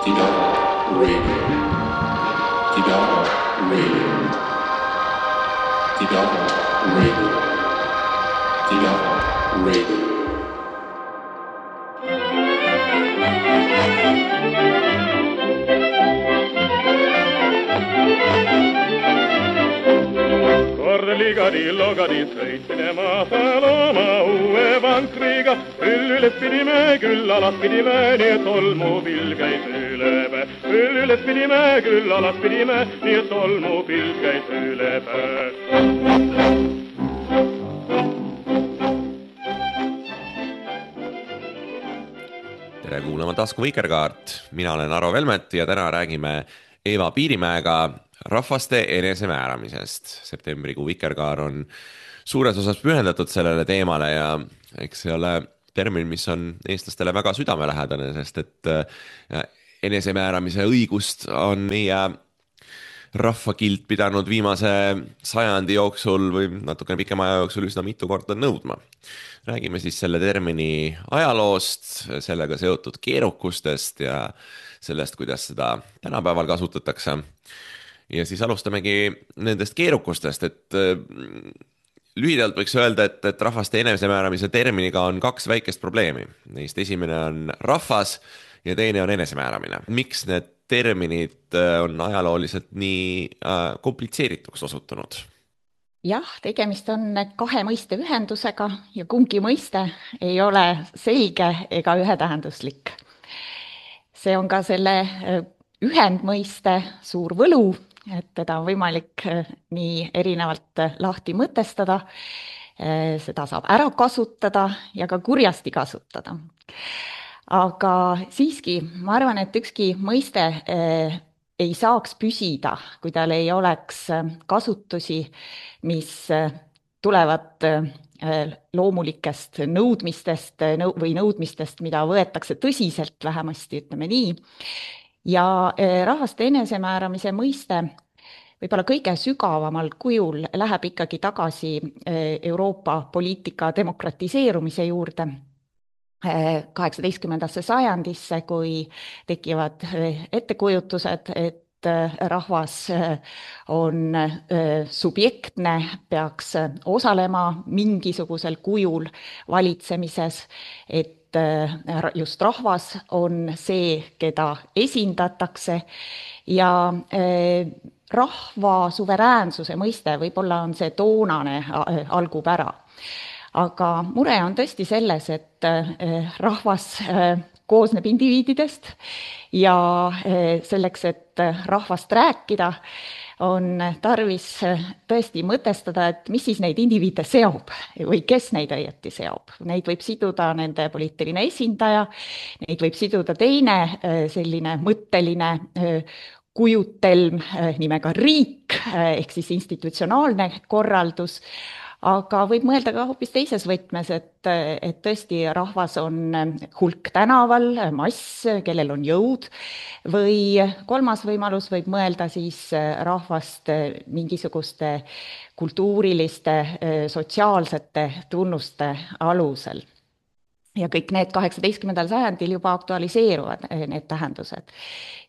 Tidara Radio. Tidara Radio. Tidara Radio. Tidara Radio. Ligadi sõitsime maasal oma uue vankriga, üles pidime, küll alas pidime, nii et tolmupilv käis üle päe. Üles pidime, küll alas pidime, nii et tolmupilv käis üle päe. Tere kuulama Tasku Vikerkaart, mina olen Aro Velmet ja täna räägime Eva Piirimäega rahvaste enesemääramisest. Septembrikuu Vikerkaar on suures osas pühendatud sellele teemale ja eks see ole termin, mis on eestlastele väga südamelähedane, sest et enesemääramise õigust on meie rahvakild pidanud viimase sajandi jooksul või natukene pikema aja jooksul üsna mitu korda nõudma. Räägime siis selle termini ajaloost, sellega seotud keerukustest ja sellest, kuidas seda tänapäeval kasutatakse. Ja siis alustamegi nendest keerukustest, et lühidalt võiks öelda, et rahvaste enesemääramise terminiga on kaks väikest probleemi. Neist esimene on rahvas ja teine on enesemääramine. Miks need terminid on ajalooliselt nii komplitseerituks osutunud? Jah, tegemist on kahe mõiste ühendusega ja kumbki mõiste ei ole selge ega ühetähenduslik. See on ka selle ühendmõiste suur võlu, et teda on võimalik nii erinevalt lahti mõtestada, seda saab ära kasutada ja ka kurjasti kasutada. Aga siiski, ma arvan, et ükski mõiste ei saaks püsida, kui tal ei oleks kasutusi, mis tulevad loomulikest nõudmistest või nõudmistest, mida võetakse tõsiselt, vähemasti ütleme nii. Ja rahvaste enesemääramise mõiste võib-olla kõige sügavamal kujul läheb ikkagi tagasi Euroopa poliitika demokratiseerumise juurde 18. sajandisse, kui tekivad ettekujutused, et rahvas on subjektne, peaks osalema mingisugusel kujul valitsemises, et just rahvas on see, keda esindatakse ja rahva suveräänsuse mõiste võib-olla on see toonane algupära. Aga mure on tõesti selles, et rahvas koosneb indiviididest ja selleks, et rahvast rääkida, on tarvis tõesti mõtestada, et mis siis neid indiviide seob või kes neid õieti seob. Neid võib siduda nende poliitiline esindaja, neid võib siduda teine selline mõtteline kujutelm nimega riik ehk siis institutsionaalne korraldus, aga võib mõelda ka hoopis teises võtmes, et tõesti rahvas on hulk tänaval, mass, kellel on jõud, või kolmas võimalus võib mõelda siis rahvast mingisuguste kultuuriliste, sotsiaalsete tunnuste alusel. Ja kõik need 18. sajandil juba aktualiseeruvad need tähendused.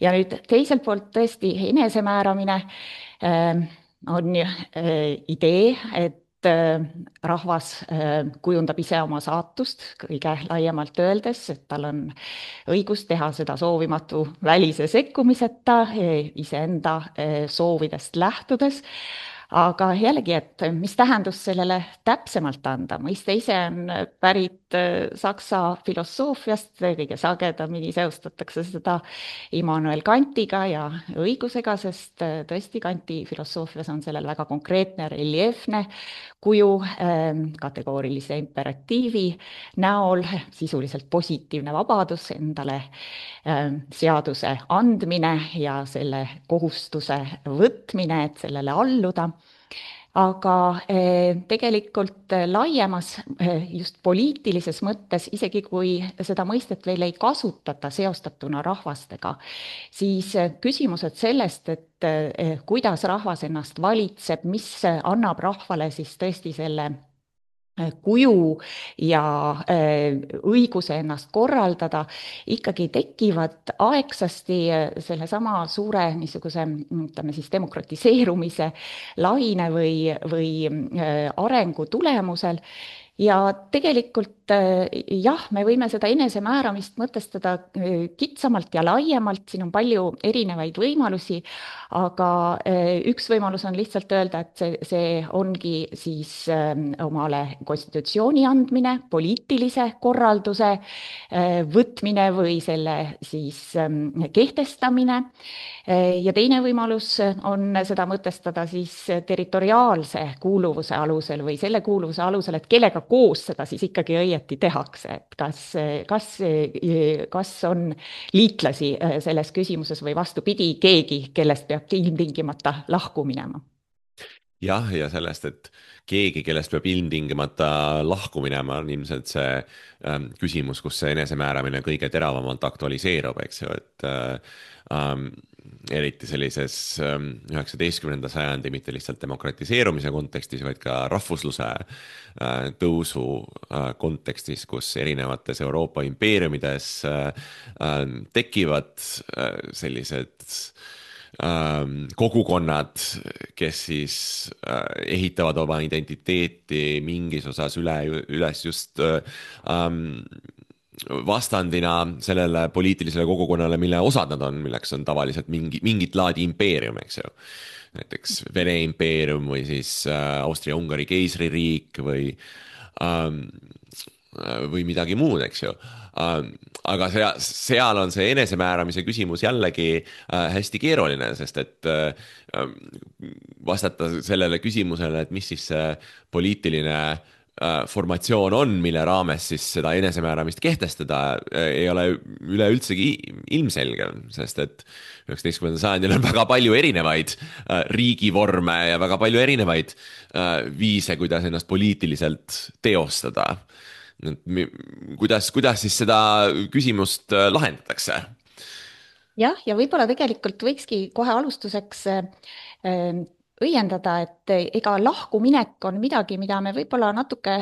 Ja nüüd teiselt poolt tõesti enesemääramine on idee, et rahvas kujundab ise oma saatust kõige laiemalt öeldes, et tal on õigus teha seda soovimatu välise sekkumiseta, iseenda soovidest lähtudes. Aga jällegi, et mis tähendus sellele täpsemalt anda? Mõiste ise on pärit saksa filosoofiast, kõige sagedamini seostatakse seda Immanuel Kantiga ja õigusega, sest tõesti Kanti filosoofias on sellel väga konkreetne, reljeefne kuju kategoorilise imperatiivi näol, sisuliselt positiivne vabadus endale seaduse andmine ja selle kohustuse võtmine, et sellele alluda. Aga tegelikult laiemas just poliitilises mõttes, isegi kui seda mõistet veel ei kasutata seostatuna rahvastega, siis küsimused sellest, et kuidas rahvas ennast valitseb, mis annab rahvale siis tõesti selle kuju ja õiguse ennast korraldada ikkagi tekivad aegsasti sellesama suure niisuguse, ütleme siis demokratiseerumise laine või arengu tulemusel. Ja tegelikult jah, me võime seda enesemääramist mõtestada kitsamalt ja laiemalt, siin on palju erinevaid võimalusi, aga üks võimalus on lihtsalt öelda, et see ongi siis omale konstitutsiooni andmine, poliitilise korralduse võtmine või selle siis kehtestamine. Ja teine võimalus on seda mõtestada siis territoriaalse kuuluvuse alusel või selle kuuluvuse alusel, et kellega koos seda siis ikkagi õieti tehakse, et kas on liitlasi selles küsimuses või vastupidi, keegi, kellest peab ilmtingimata lahku minema. Jah, ja sellest, et keegi, kellest peab ilmtingimata lahku minema, on ilmselt see küsimus, kus see enesemääramine kõige teravamalt aktualiseerub, eks ju, et eriti sellises 19. sajandi mitte lihtsalt demokratiseerumise kontekstis, vaid ka rahvusluse tõusu kontekstis, kus erinevates Euroopa impeeriumides tekivad sellised kogukonnad, kes siis ehitavad oma identiteeti mingis osas üles just vastandina sellele poliitilisele kogukonnale, mille osad nad on, milleks on tavaliselt mingit laadi impeerium, eks ju. Näiteks Vene impeerium või siis Austria-Ungari keisririik või midagi muud, eks ju. Aga seal on see enesemääramise küsimus jällegi hästi keeruline, sest et vastata sellele küsimusele, et mis siis see poliitiline formatsioon on, mille raames siis seda enesemääramist kehtestada, ei ole üleüldsegi ilmselge, sest et 19. sajandil on väga palju erinevaid riigivorme ja väga palju erinevaid viise, kuidas ennast poliitiliselt teostada. Kuidas siis seda küsimust lahendatakse? Jah, ja võib-olla tegelikult võikski kohe alustuseks õiendada, et ega lahkuminek on midagi, mida me võib-olla natuke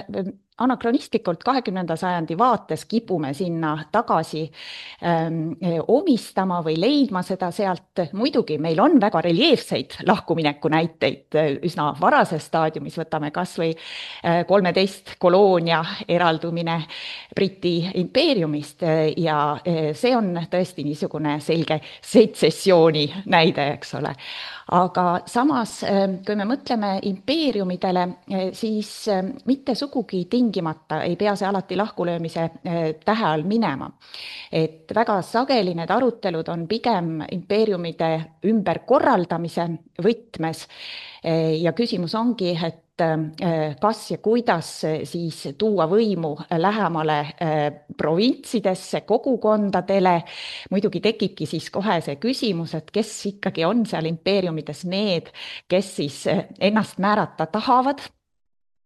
anakronistlikult 20. sajandi vaates kipume sinna tagasi omistama või leidma seda sealt. Muidugi meil on väga reljeefseid lahkumineku näiteid üsna varases staadiumis, võtame kas või 13 koloonia eraldumine Briti impeeriumist ja see on tõesti niisugune selge setsessiooni näide, eks ole. Aga samas, kui me mõtleme impeeriumidele, siis mitte sugugi tingimata ei pea see alati lahkulöömise tähe all minema. Et väga sageli need arutelud on pigem impeeriumide ümberkorraldamise võtmes ja küsimus ongi, et kas ja kuidas siis tuua võimu lähemale provintsidesse, kogukondadele. Muidugi tekibki siis kohe see küsimus, et kes ikkagi on seal impeeriumides need, kes siis ennast määrata tahavad.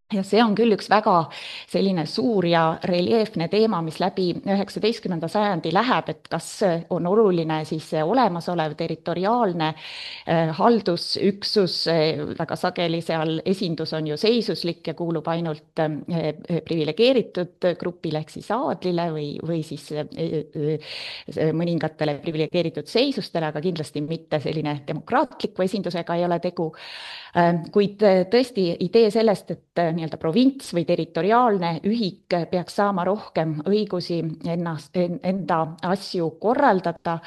Ja see on küll üks väga selline suur ja reljeefne teema, mis läbi 19. sajandi läheb, et kas on oluline siis olemasolev territoriaalne haldusüksus, väga sageli seal esindus on ju seisuslik ja kuulub ainult priviligeeritud grupile ehk siis aadlile või siis mõningatele priviligeeritud seisustele, aga kindlasti mitte selline demokraatliku esindusega ei ole tegu. Kuid tõesti idee sellest, et nii-öelda provints või territoriaalne ühik peaks saama rohkem õigusi enda asju korraldada,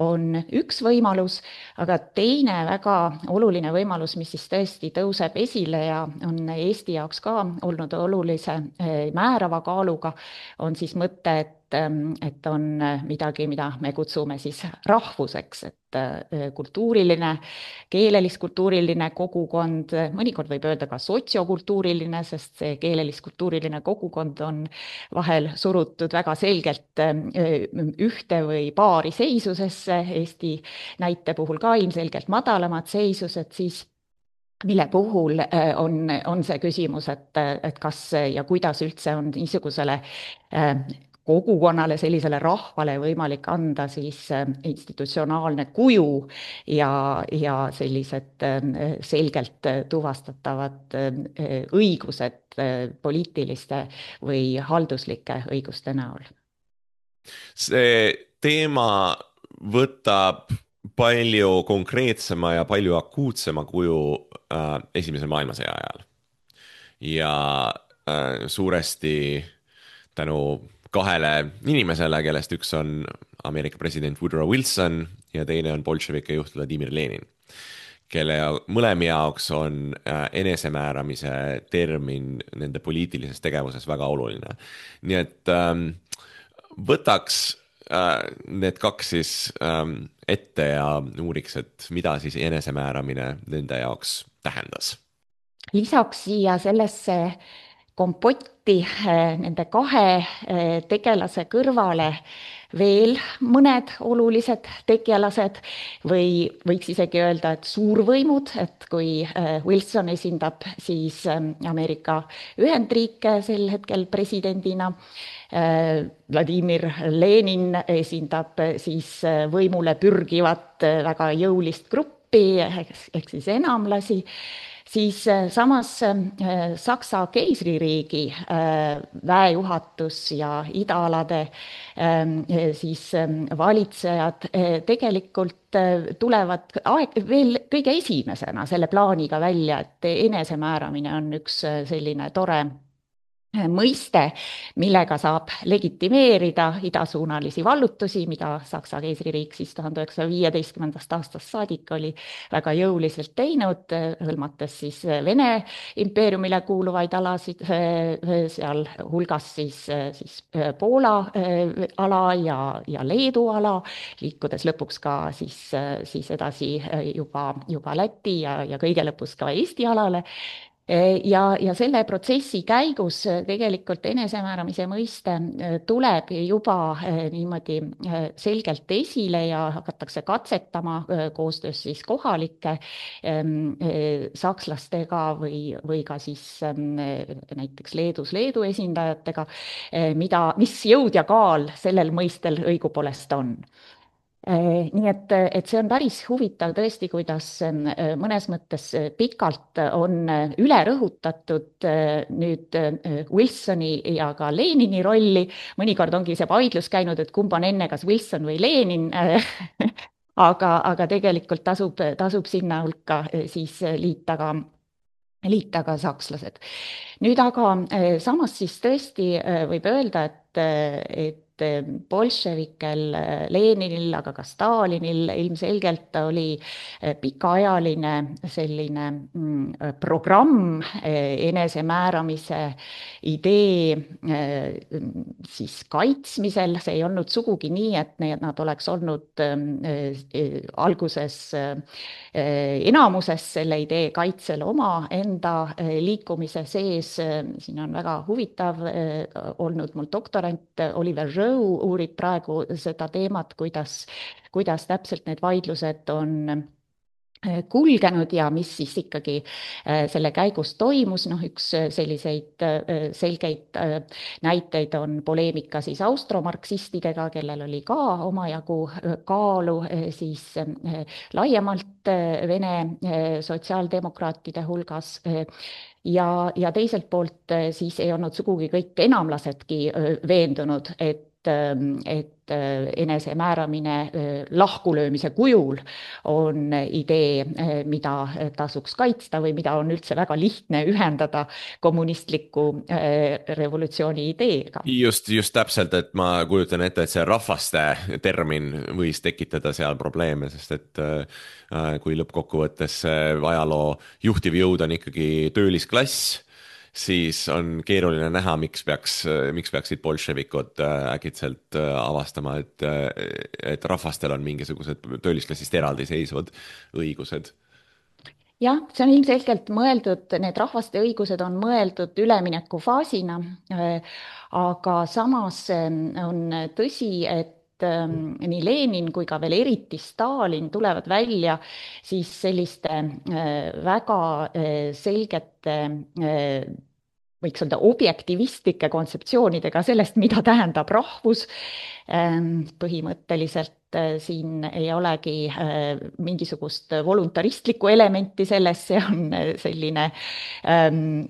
on üks võimalus, aga teine väga oluline võimalus, mis siis tõesti tõuseb esile ja on Eesti jaoks ka olnud olulise määrava kaaluga, on siis mõte, et on midagi, mida me kutsume siis rahvuseks, et kultuuriline, keelelis-kultuuriline kogukond, mõnikord võib öelda ka sotsiokultuuriline, sest see keelelis-kultuuriline kogukond on vahel surutud väga selgelt ühte või paari seisusesse, Eesti näite puhul ka ilmselgelt madalamad seisused, siis mille puhul on see küsimus, et kas ja kuidas üldse on niisugusele kogukonnale, sellisele rahvale võimalik anda siis institutsionaalne kuju ja sellised selgelt tuvastatavad õigused poliitiliste või halduslike õiguste näol. See teema võtab palju konkreetsema ja palju akuutsema kuju Esimese maailmasõja ajal. Ja suuresti tänu kahele inimesele, kellest üks on Ameerika president Woodrow Wilson ja teine on bolševike juht Vladimir Lenin, kelle mõlemi jaoks on enesemääramise termin nende poliitilises tegevuses väga oluline. Nii et võtaks need kaks siis ette ja uuriks, et mida siis enesemääramine nende jaoks tähendas. Lisaks siia sellesse kompotti nende kahe tegelase kõrvale veel mõned olulised tegelased või võiks isegi öelda, et suurvõimud, et kui Wilson esindab siis Ameerika Ühendriike sel hetkel presidendina, Vladimir Lenin esindab siis võimule pürgivat väga jõulist gruppi ehk siis enamlasi, siis samas Saksa keisririigi väejuhatus ja idaalade siis valitsejad tegelikult tulevad veel kõige esimesena selle plaaniga välja, et enesemääramine on üks selline tore mõiste, millega saab legitimeerida idasuunalisi vallutusi, mida Saksa keisririik siis 1915. aastast saadik oli väga jõuliselt teinud, hõlmates siis Vene impeeriumile kuuluvaid alasid, seal hulgas siis Poola ala ja Leedu ala, liikudes lõpuks ka siis edasi juba Läti ja kõige lõpus ka Eesti alale. Ja selle protsessi käigus tegelikult enesemääramise mõiste tuleb juba niimoodi selgelt esile ja hakatakse katsetama koostöös siis kohalike sakslastega või ka siis näiteks Leedu esindajatega, mis jõud ja kaal sellel mõistel õigupoolest on. Nii et see on päris huvitav tõesti, kuidas mõnes mõttes pikalt on üle rõhutatud nüüd Wilsoni ja ka Lenini rolli. Mõnikord ongi see vaidlus käinud, et kumb on enne, kas Wilson või Lenin, aga tegelikult tasub sinna hulka siis liita ka sakslased. Nüüd aga samas siis tõesti võib öelda, et bolševikel, Leninil, aga ka Stalinil ilmselgelt oli pikaajaline selline programm enesemääramise idee siis kaitsmisel. See ei olnud sugugi nii, et nad oleks olnud alguses enamuses selle idee kaitsel oma enda liikumise sees. Siin on väga huvitav olnud mul doktorant Oliver Rowe, uurib praegu seda teemat, kuidas täpselt need vaidlused on kulgenud ja mis siis ikkagi selle käigus toimus. Üks selliseid selgeid näiteid on poleemika siis austromarksistidega, kellel oli ka omajagu kaalu siis laiemalt Vene sotsiaaldemokraatide hulgas. Ja teiselt poolt siis ei olnud sugugi kõik enamlasedki veendunud, et enesemääramine lahkulöömise kujul on idee, mida tasuks kaitsta või mida on üldse väga lihtne ühendada kommunistliku revolutsiooni ideega. Just täpselt, et ma kujutan ette, et see rahvaste termin võis tekitada seal probleeme, sest et kui lõppkokkuvõttes ajaloo juhtiv jõud on ikkagi töölisklass, siis on keeruline näha, miks peaksid bolševikud äkitselt avastama, et rahvastel on mingisugused töölisklassist eraldiseisvad õigused. Jah, see on ilmselgelt mõeldud, need rahvaste õigused on mõeldud üleminekufaasina, aga samas on tõsi, et nii Lenin kui ka veel eriti Stalin tulevad välja siis selliste väga selgete võiks öelda objektivistlike kontseptsioonidega sellest, mida tähendab rahvus. Põhimõtteliselt siin ei olegi mingisugust voluntaristlikku elementi selles, see on selline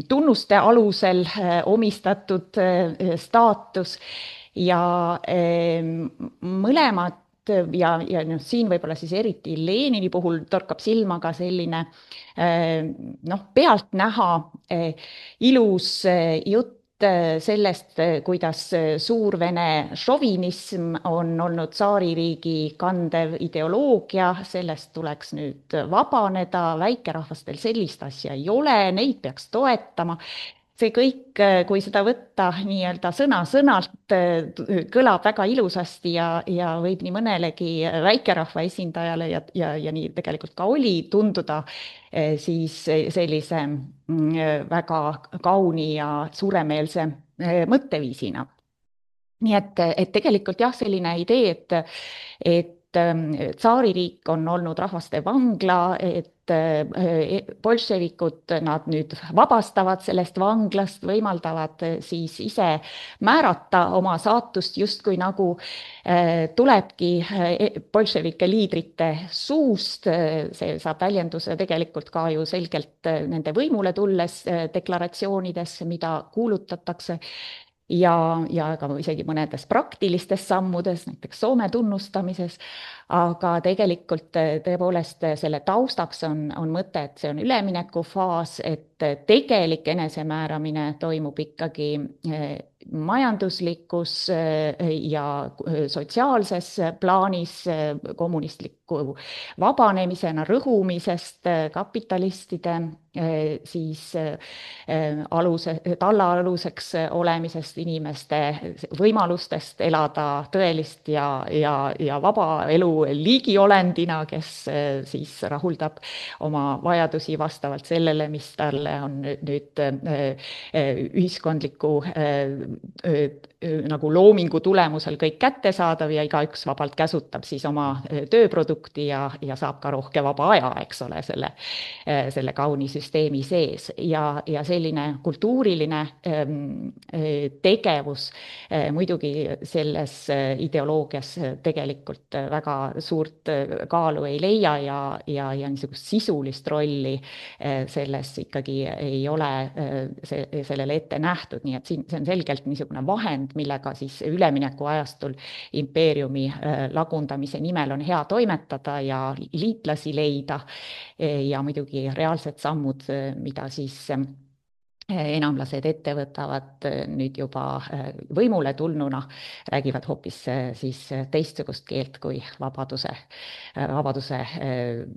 tunnuste alusel omistatud staatus ja mõlemad ja siin võib-olla siis eriti Lenini puhul torkab silma ka selline pealtnäha ilus jutt sellest, kuidas suurvene šovinism on olnud tsaaririigi kandev ideoloogia, sellest tuleks nüüd vabaneda, väikerahvastel sellist asja ei ole, neid peaks toetama. See kõik, kui seda võtta nii-öelda sõna-sõnalt, kõlab väga ilusasti ja võib nii mõnelegi väikerahva esindajale ja nii tegelikult ka oli tunduda siis sellise väga kauni ja suuremeelse mõtteviisina. Nii et tegelikult jah, selline idee, et tsaaririik on olnud rahvaste vangla, et bolševikud nad nüüd vabastavad sellest vanglast, võimaldavad siis ise määrata oma saatust justkui nagu tulebki bolševike liidrite suust, see saab väljenduse tegelikult ka ju selgelt nende võimule tulles deklaratsioonidesse, mida kuulutatakse ja ka isegi mõnedes praktilistes sammudes, näiteks Soome tunnustamises, aga tegelikult tõepoolest selle taustaks on mõte, et see on üleminekufaas, et tegelik enesemääramine toimub ikkagi majanduslikus ja sotsiaalses plaanis kommunistliku vabanemisena rõhumisest kapitalistide siis tallaaluseks olemisest, inimeste võimalustest elada tõelist ja vaba elu liigiolendina, kes siis rahuldab oma vajadusi vastavalt sellele, mis talle on nüüd ühiskondliku nagu loomingu tulemusel kõik kättesaadav ja igaüks vabalt käsutab siis oma tööprodukti ja saab ka rohke vaba aja, eks ole, selle kauni süsteemi sees ja selline kultuuriline tegevus muidugi selles ideoloogias tegelikult väga suurt kaalu ei leia ja niisugust sisulist rolli selles ikkagi ei ole sellele ette nähtud, nii et siin see on selgelt niisugune vahend, millega siis ülemineku ajastul impeeriumi lagundamise nimel on hea toimetada ja liitlasi leida ja muidugi reaalsed sammud, mida siis enamlased ette võtavad nüüd juba võimule tulnuna, räägivad hoopis siis teistsugust keelt kui vabaduse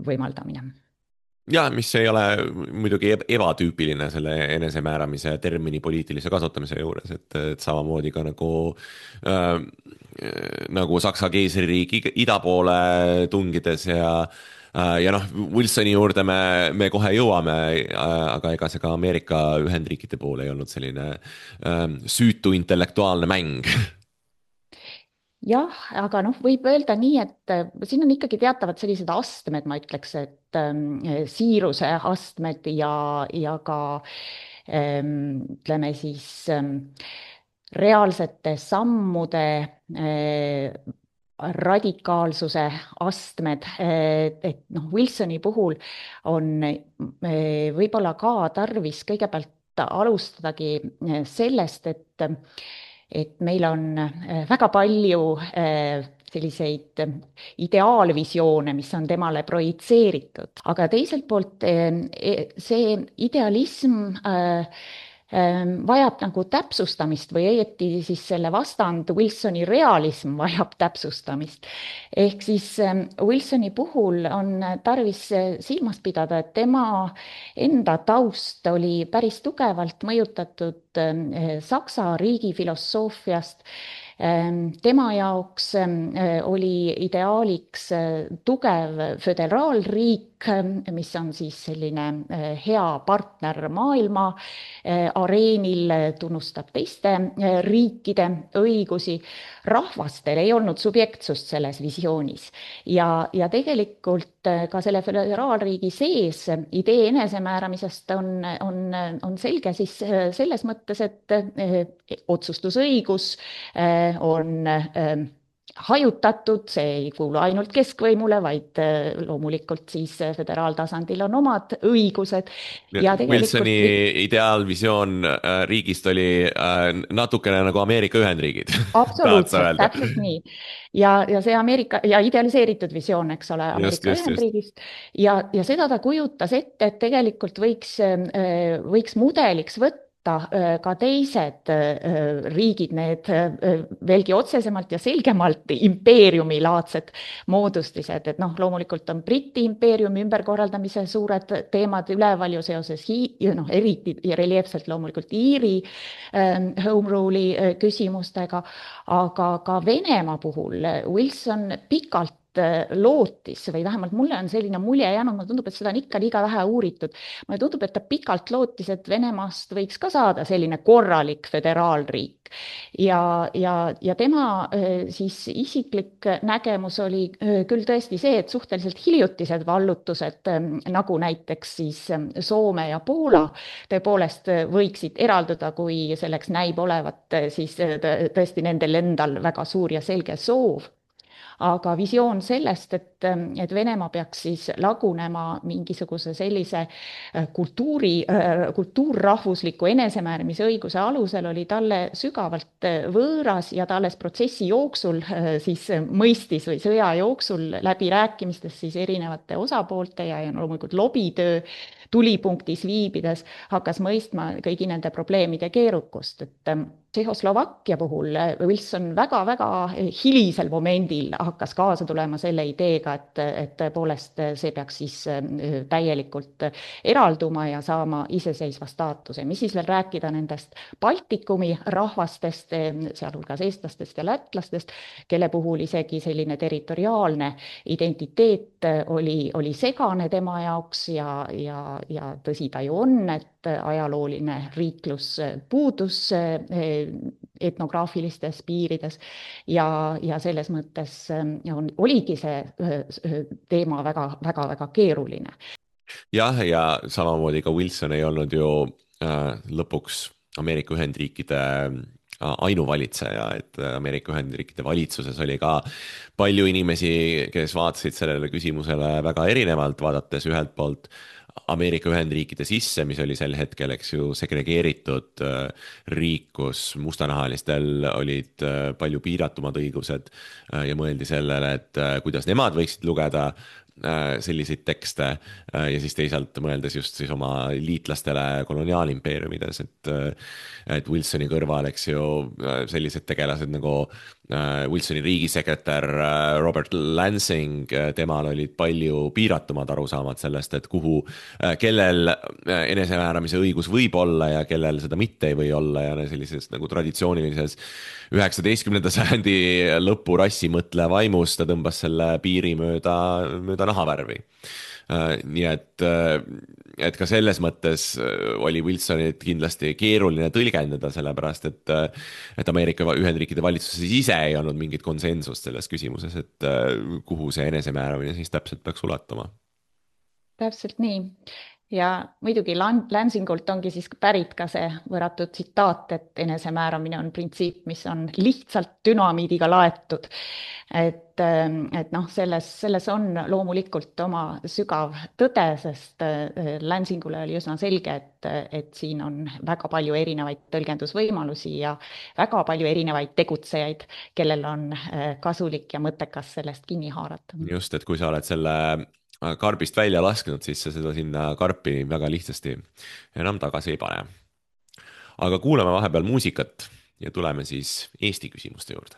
võimaldamine. Ja, mis ei ole muidugi ebatüüpiline selle enesemääramise termini poliitilise kasutamise juures, et samamoodi ka nagu Saksa keisririigi ida poole tungides ja Wilsoni juurde me kohe jõuame, aga ega see ka Ameerika Ühendriikide poole ei olnud selline süütu intellektuaalne mäng. Jah, aga võib öelda nii, et siin on ikkagi teatavad sellised astmed, ma ütleks, et siiruse astmed ja ka ütleme siis reaalsete sammude radikaalsuse astmed, et Wilsoni puhul on võib-olla ka tarvis kõigepealt alustadagi sellest, et meil on väga palju selliseid ideaalvisioone, mis on temale projitseeritud, aga teiselt poolt see idealism vajab nagu täpsustamist või õieti siis selle vastand Wilsoni realism vajab täpsustamist. Ehk siis Wilsoni puhul on tarvis silmas pidada, et tema enda taust oli päris tugevalt mõjutatud Saksa riigi filosoofiast, Tema jaoks oli ideaaliks tugev föderaalriik, mis on siis selline hea partner maailma areenil, tunnustab teiste riikide õigusi. Rahvastel ei olnud subjektsust selles visioonis ja tegelikult ka selle föderaalriigi sees idee enesemääramisest on selge siis selles mõttes, et otsustusõigus on hajutatud, see ei kuulu ainult keskvõimule, vaid loomulikult siis föderaaltasandil on omad õigused. Ja Wilsoni ideaalvisioon riigist oli natukene nagu Ameerika Ühendriigid. Absoluutselt, täpselt nii. Ja see Ameerika ja idealiseeritud visioon, eks ole, Ameerika Ühendriigist. Ja seda ta kujutas ette, et tegelikult võiks mudeliks võtta ka teised riigid, need veelgi otsesemalt ja selgemalt impeeriumilaadsed moodustised, et loomulikult on Briti impeeriumi ümberkorraldamise suured teemad üleval ju seoses eriti reljeefselt loomulikult Iiri home rule'i küsimustega, aga ka Venemaa puhul Wilson pikalt lootis või vähemalt mulle on selline mulje jäänud, mulle tundub, et seda on ikka liiga vähe uuritud. Mulle tundub, et ta pikalt lootis, et Venemaast võiks ka saada selline korralik föderaalriik. Ja tema siis isiklik nägemus oli küll tõesti see, et suhteliselt hiljutised vallutused, nagu näiteks siis Soome ja Poola, tõepoolest võiksid eralduda, kui selleks näib olevat siis tõesti nendel endal väga suur ja selge soov. Aga visioon sellest, et Venemaa peaks siis lagunema mingisuguse sellise kultuurrahvusliku enesemääramise õiguse alusel, oli talle sügavalt võõras ja ta alles protsessi jooksul siis mõistis või sõja jooksul läbi rääkimistes siis erinevate osapoolte ja loomulikult lobitöö tulipunktis viibides hakkas mõistma kõigi nende probleemide keerukust, et Tšehhoslovakkia puhul Wilson väga-väga hilisel momendil hakkas kaasa tulema selle ideega, et tõepoolest see peaks siis täielikult eralduma ja saama iseseisva staatuse. Mis siis veel rääkida nendest Baltikumi rahvastest, sealhulgas eestlastest ja lätlastest, kelle puhul isegi selline territoriaalne identiteet oli segane tema jaoks ja tõsi ta ju on, et ajalooline riiklus puudus etnograafilistes piirides ja selles mõttes oligi see teema väga keeruline. Jah, ja samamoodi ka Wilson ei olnud ju lõpuks Ameerika Ühendriikide ainuvalitseja, et Ameerika Ühendriikide valitsuses oli ka palju inimesi, kes vaatasid sellele küsimusele väga erinevalt, vaadates ühelt poolt Ameerika Ühendriikide sisse, mis oli sel hetkel, eks ju, segregeeritud riik, kus mustanahalistel olid palju piiratumad õigused ja mõeldi sellele, et kuidas nemad võiksid lugeda selliseid tekste ja siis teisalt mõeldes just siis oma liitlastele koloniaalimpeeriumides, et Wilsoni kõrval, eks ju, sellised tegelased nagu Wilsoni riigisekretär Robert Lansing, temal olid palju piiratumad arusaamad sellest, et kellel enesemääramise õigus võib olla ja kellel seda mitte ei või olla ja sellises nagu traditsioonilises 19. sajandi lõpu rassimõtle vaimus ta tõmbas selle piiri mööda nahavärvi. Nii et ka selles mõttes oli Wilsonit kindlasti keeruline tõlgendada, sellepärast et Ameerika Ühendriikide valitsuses ise ei olnud mingit konsensust selles küsimuses, et kuhu see enesemääramine siis täpselt peaks ulatuma. Täpselt nii. Ja muidugi Lansingult ongi siis pärit ka see võrratu tsitaat, et enesemääramine on printsiip, mis on lihtsalt dünamiidiga laetud. Et selles on loomulikult oma sügav tõde, sest Lansingule oli üsna selge, et siin on väga palju erinevaid tõlgendusvõimalusi ja väga palju erinevaid tegutsejaid, kellel on kasulik ja mõttekas sellest kinni haarata. Just, et kui sa oled selle karbist välja lasknud, siis sa seda sinna karpi väga lihtsasti enam tagasi ei pane. Aga kuulame vahepeal muusikat ja tuleme siis Eesti küsimuste juurde.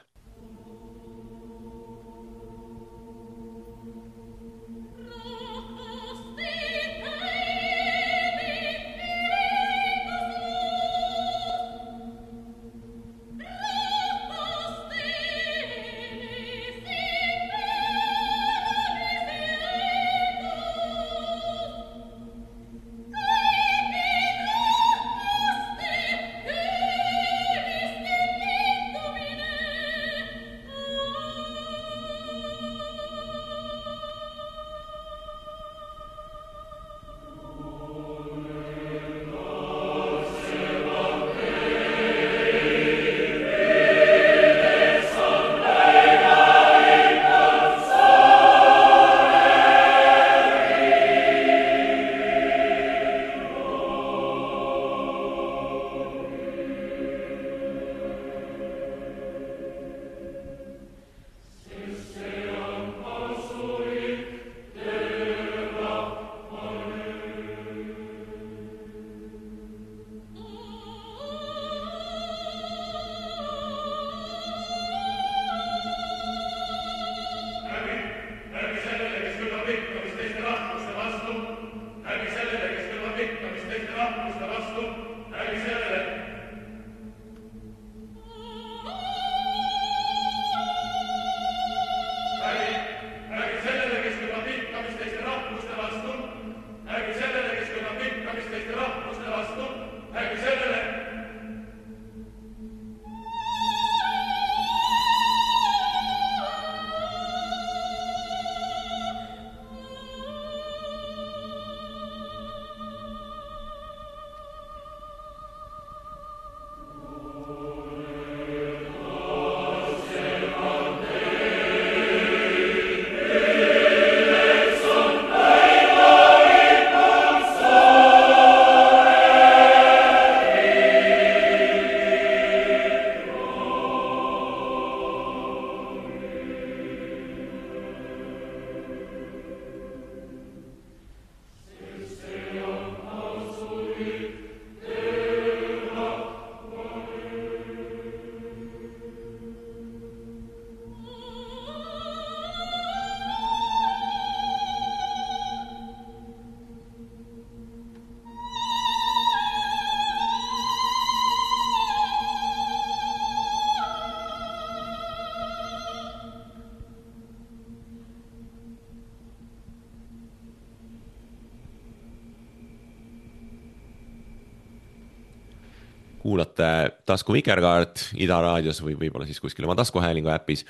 kuulate Tasku Vikerkaart Ida raadios või võib-olla siis kuskil oma taskuhäälingu äpis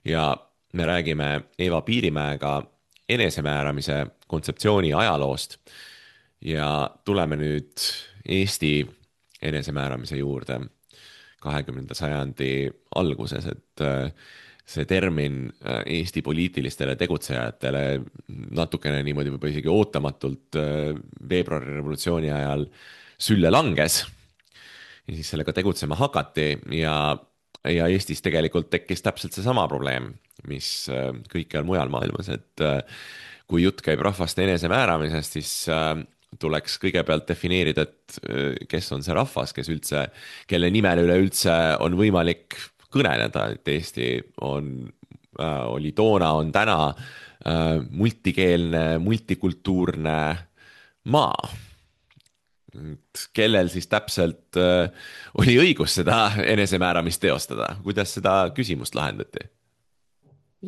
ja me räägime Eva Piirimäega enesemääramise kontseptsiooni ajaloost ja tuleme nüüd Eesti enesemääramise juurde 20. sajandi alguses, et see termin Eesti poliitilistele tegutsejatele natukene niimoodi võib isegi ootamatult veebruari revolutsiooni ajal sülle langes ja siis sellega tegutsema hakati ja Eestis tegelikult tekkis täpselt seesama probleem, mis kõikjal mujal maailmas, et kui jutt käib rahvaste enesemääramisest, siis tuleks kõigepealt defineerida, et kes on see rahvas, kes üldse, kelle nimel üleüldse on võimalik kõneleda, et Eesti oli toona, on täna multikeelne, multikultuurne maa. Kellel siis täpselt oli õigus seda enesemääramist teostada? Kuidas seda küsimust lahendati?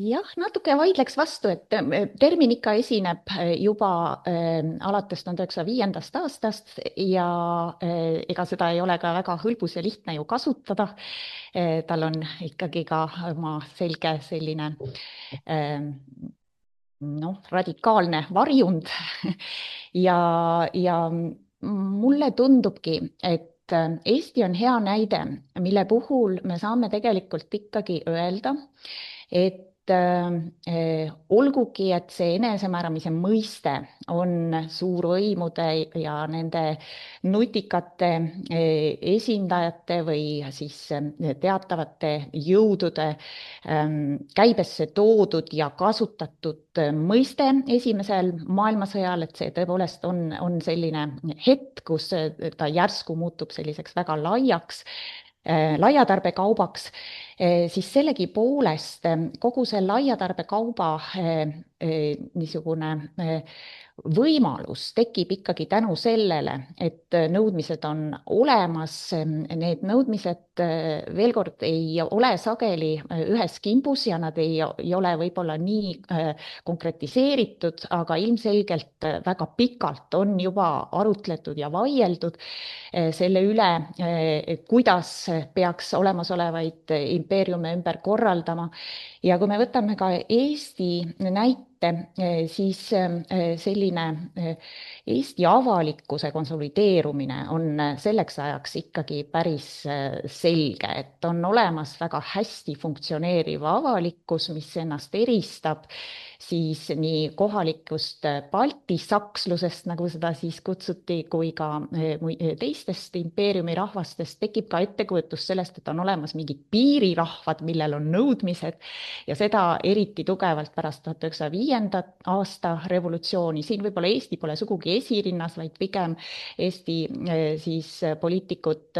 Jah, natuke vaidleks vastu, et termin ikka esineb juba alates 1905. aastast ja ega seda ei ole ka väga hõlbus ja lihtne ju kasutada. Tal on ikkagi ka oma selge selline radikaalne varjund ja mulle tundubki, et Eesti on hea näide, mille puhul me saame tegelikult ikkagi öelda, et olgugi, et see enesemääramise mõiste on suurvõimude ja nende nutikate esindajate või siis teatavate jõudude käibesse toodud ja kasutatud mõiste esimesel maailmasõjal, et see tõepoolest on selline hetk, kus ta järsku muutub selliseks väga laiatarbekaubaks, siis sellegipoolest kogu see laiatarbekauba niisugune võimalus tekib ikkagi tänu sellele, et nõudmised on olemas. Need nõudmised veel kord ei ole sageli ühes kimbus ja nad ei ole võib-olla nii konkretiseeritud, aga ilmselgelt väga pikalt on juba arutletud ja vaieldud selle üle, kuidas peaks olemasolevaid impeeriume ümber korraldama. Ja kui me võtame ka Eesti näite, siis selline Eesti avalikkuse konsolideerumine on selleks ajaks ikkagi päris selge, et on olemas väga hästi funktsioneeriv avalikkus, mis ennast eristab siis nii kohalikust baltisakslusest, nagu seda siis kutsuti, kui ka teistest impeeriumi rahvastest. Tekib ka ettekujutus sellest, et on olemas mingid piirirahvad, millel on nõudmised ja seda eriti tugevalt pärast 1905. aasta revolutsiooni. Siin võib-olla Eesti pole sugugi esirinnas, vaid pigem Eesti siis poliitikud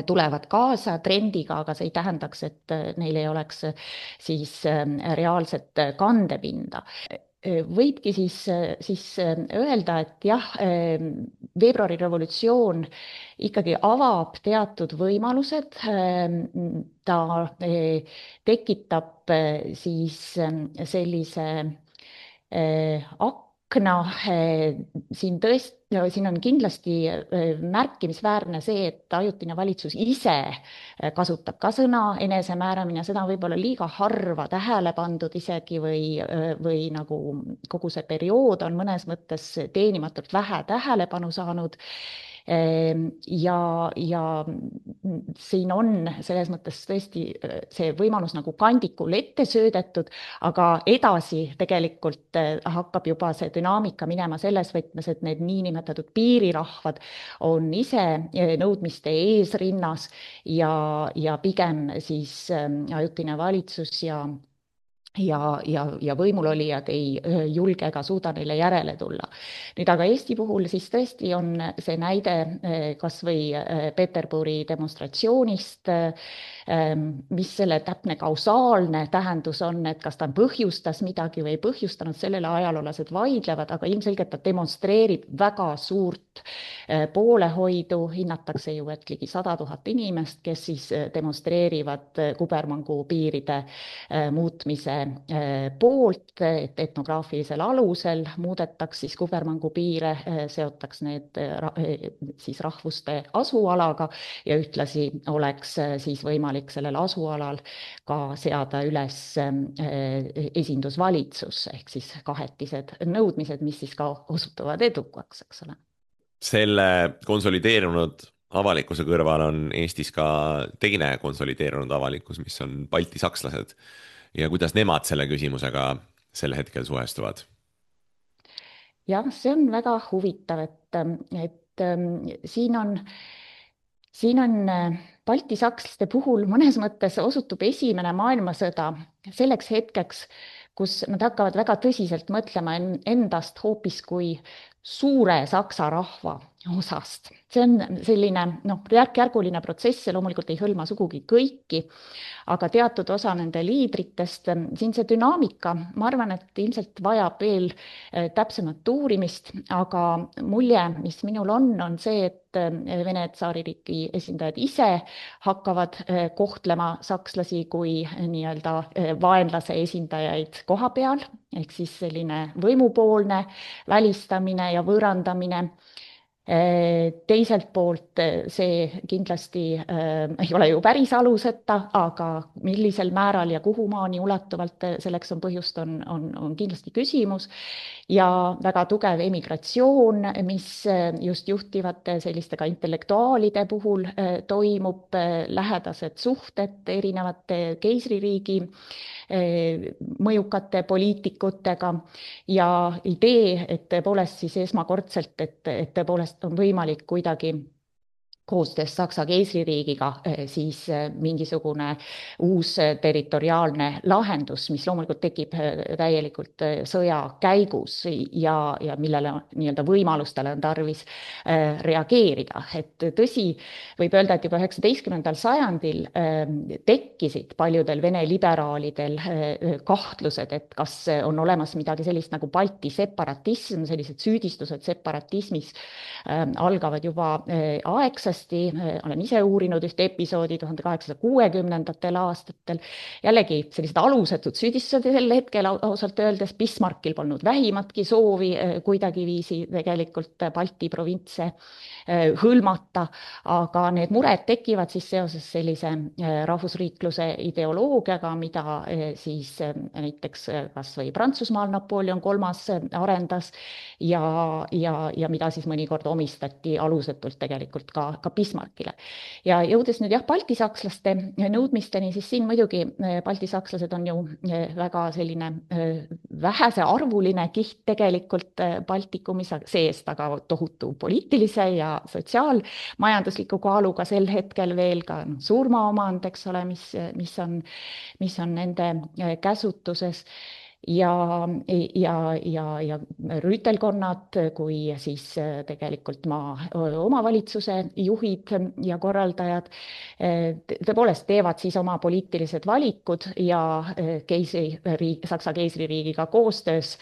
tulevad kaasa trendiga, aga see ei tähendaks, et neil ei oleks siis reaalset kandepinda. Võibki siis öelda, et jah, veebruari revolutsioon ikkagi avab teatud võimalused, ta tekitab siis sellise akna, siin on kindlasti märkimisväärne see, et ajutine valitsus ise kasutab ka sõna enesemääramine, seda on võib-olla liiga harva tähele pandud isegi või nagu kogu see periood on mõnes mõttes teenimatult vähe tähelepanu saanud. Ja siin on selles mõttes tõesti see võimalus nagu kandikul ette söödetud, aga edasi tegelikult hakkab juba see dünaamika minema selles võtmes, et need niinimetatud piirirahvad on ise nõudmiste eesrinnas ja pigem siis ajutine valitsus ja võimulolijad ei julge ega suuda neile järele tulla. Nüüd aga Eesti puhul siis tõesti on see näide kas või Peterburi demonstratsioonist, mis selle täpne kausaalne tähendus on, et kas ta põhjustas midagi või ei põhjustanud, sellele ajaloolased vaidlevad, aga ilmselgelt ta demonstreerib väga suurt poolehoidu, hinnatakse ju, et ligi 100 000 inimest, kes siis demonstreerivad kubermangu piiride muutmise poolt, et etnograafilisel alusel muudetaks siis kubermangu piire, seotaks need siis rahvuste asualaga ja ühtlasi oleks siis võimalik sellel asualal ka seada üles esindusvalitsus ehk siis kahetised nõudmised, mis siis ka osutuvad edukaks, eks ole. Selle konsolideerunud avalikkuse kõrval on Eestis ka teine konsolideerunud avalikkus, mis on balti sakslased ja kuidas nemad selle küsimusega sel hetkel suhestuvad? Jah, see on väga huvitav, et siin on balti sakslaste puhul mõnes mõttes osutub esimene maailmasõda selleks hetkeks, kus nad hakkavad väga tõsiselt mõtlema endast hoopis kui suure saksa rahva osast. See on selline järk-järguline protsess, see loomulikult ei hõlma sugugi kõiki, aga teatud osa nende liidritest, siin see dünaamika, ma arvan, et ilmselt vajab veel täpsemat uurimist, aga mulje, mis minul on see, et Vene tsaaririigi esindajad ise hakkavad kohtlema sakslasi kui nii-öelda vaenlase esindajaid koha peal, ehk siis selline võimupoolne välistamine ja võõrandamine. Teiselt poolt see kindlasti ei ole ju päris aluseta, aga millisel määral ja kuhumaani ulatuvalt selleks on põhjust, on kindlasti küsimus. Ja väga tugev emigratsioon, mis just juhtivate selliste ka intellektuaalide puhul toimub, lähedased suhted erinevate keisririigi mõjukate poliitikutega ja idee, et tõepoolest siis esmakordselt, et tõepoolest on võimalik kuidagi koostöös Saksa keisririigiga siis mingisugune uus territoriaalne lahendus, mis loomulikult tekib täielikult sõja käigus ja millele nii-öelda võimalustele on tarvis reageerida. Et tõsi, võib öelda, et juba 19. sajandil tekkisid paljudel vene liberaalidel kahtlused, et kas on olemas midagi sellist nagu Balti separatism, sellised süüdistused separatismis algavad juba aegselt. Olen ise uurinud ühte episoodi 1860. aastatel. Jällegi sellised alusetud süüdistused sel hetkel ausalt öeldes. Bismarckil polnud vähimatki soovi kuidagiviisi tegelikult Balti provintse hõlmata, aga need mured tekivad siis seoses sellise rahvusriikluse ideoloogiaga, mida siis näiteks kas või Prantsusmaal Napoleon III arendas ja mida siis mõnikord omistati alusetult tegelikult ka Bismarckile. Ja jõudes nüüd Balti sakslaste nõudmisteni, siis siin muidugi balti sakslased on ju väga selline vähese arvuline kiht tegelikult Baltikumis seest, aga tohutu poliitilise ja sotsiaalmajandusliku kaaluga sel hetkel veel ka surmaomand, eks ole, mis on nende käsutuses. Ja rüütelkonnad kui siis tegelikult maa omavalitsuse juhid ja korraldajad tõepoolest teevad siis oma poliitilised valikud ja Saksa keisririigiga koostöös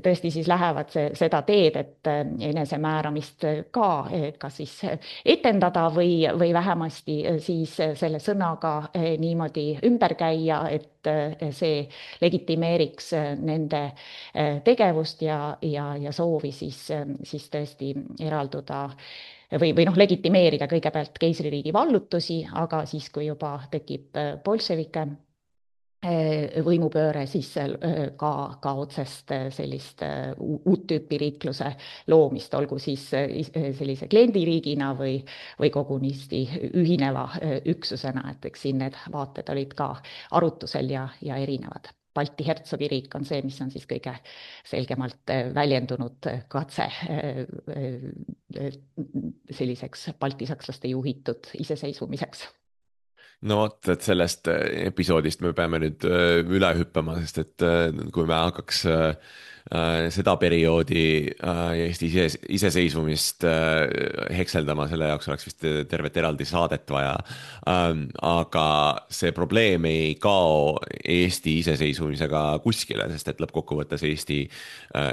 tõesti siis lähevad seda teed, et enesemääramist ka siis etendada või vähemasti siis selle sõnaga niimoodi ümber käia, et see legitimeeriks nende tegevust ja soovi siis tõesti eralduda või legitimeerida kõigepealt keisririigi vallutusi, aga siis, kui juba tekib bolševike võimupööre, siis ka otsest sellist uut tüüpi riikluse loomist, olgu siis sellise kliendiriigina või kogunisti ühineva üksusena, et eks siin need vaated olid ka arutusel ja erinevad. Balti hertsogiriik on see, mis on siis kõige selgemalt väljendunud katse selliseks balti sakslaste juhitud iseseisvumiseks. No vot, et sellest episoodist me peame nüüd üle hüppama, sest et kui me hakkaks seda perioodi Eesti iseseisvumist hekseldama, selle jaoks oleks vist tervet eraldi saadet vaja. Aga see probleem ei kao Eesti iseseisvumisega kuskile, sest et lõppkokkuvõttes Eesti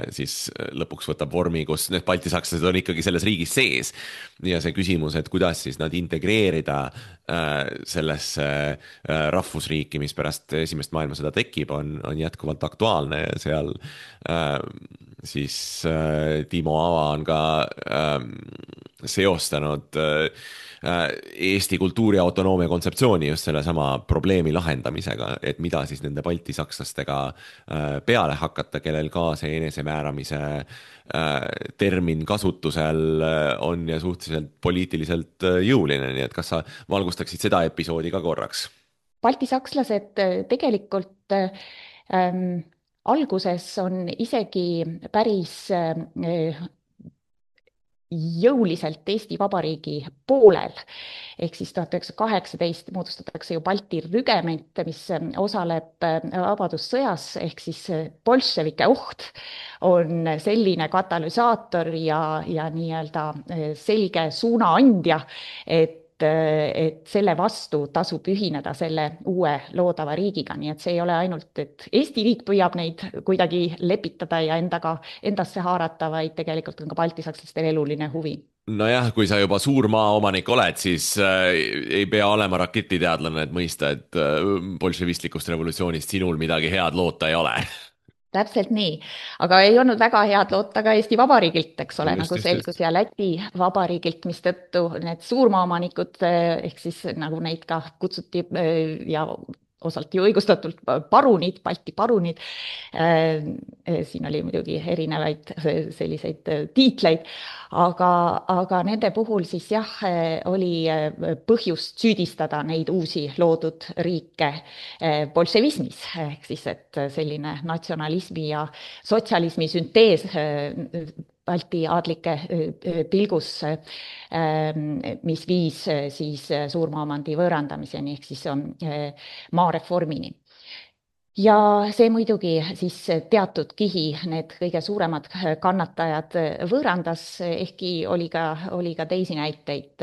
siis lõpuks võtab vormi, kus need baltisakslased on ikkagi selles riigis sees. Ja see küsimus, et kuidas siis nad integreerida sellesse rahvusriiki, mis pärast esimest maailmasõda tekib, on jätkuvalt aktuaalne ja seal siis Timo Ava on ka seostanud Eesti kultuuriautonoomia kontseptsiooni just sellesama probleemi lahendamisega, et mida siis nende baltisakslastega peale hakata, kellel ka see enesemääramise termin kasutusel on ja suhteliselt poliitiliselt jõuline, nii et kas sa valgustaksid seda episoodi ka korraks? Baltisakslased tegelikult alguses on isegi päris jõuliselt Eesti Vabariigi poolel. Ehk siis 1918 moodustatakse ju Balti rügement, mis osaleb vabadussõjas, ehk siis bolševike oht on selline katalüsaator ja nii-öelda selge suunaandja, et selle vastu tasub ühineda selle uue loodava riigiga, nii et see ei ole ainult, et Eesti riik püüab neid kuidagi lepitada ja endasse haarata, vaid tegelikult on ka baltisakslastel eluline huvi. Nojah, kui sa juba suur maaomanik oled, siis ei pea olema raketiteadlane, et mõista, et bolševistlikust revolutsioonist sinul midagi head loota ei ole. Täpselt nii, aga ei olnud väga head loota ka Eesti Vabariigilt, eks ole, nagu selgus, ja Läti Vabariigilt, mis tõttu need suurmaaomanikud, ehk siis nagu neid ka kutsuti ja osalt ju õigustatult parunid, Balti parunid. Siin oli muidugi erinevaid selliseid tiitleid, aga nende puhul siis jah, oli põhjust süüdistada neid uusi loodud riike bolševismis, ehk siis, et selline natsionalismi ja sotsialismi süntees Balti aadlike pilgus, mis viis siis suurmaaomandi võõrandamiseni, ehk siis on maareformini. Ja see muidugi siis teatud kihi need kõige suuremad kannatajad võõrandas, ehkki oli ka teisi näiteid,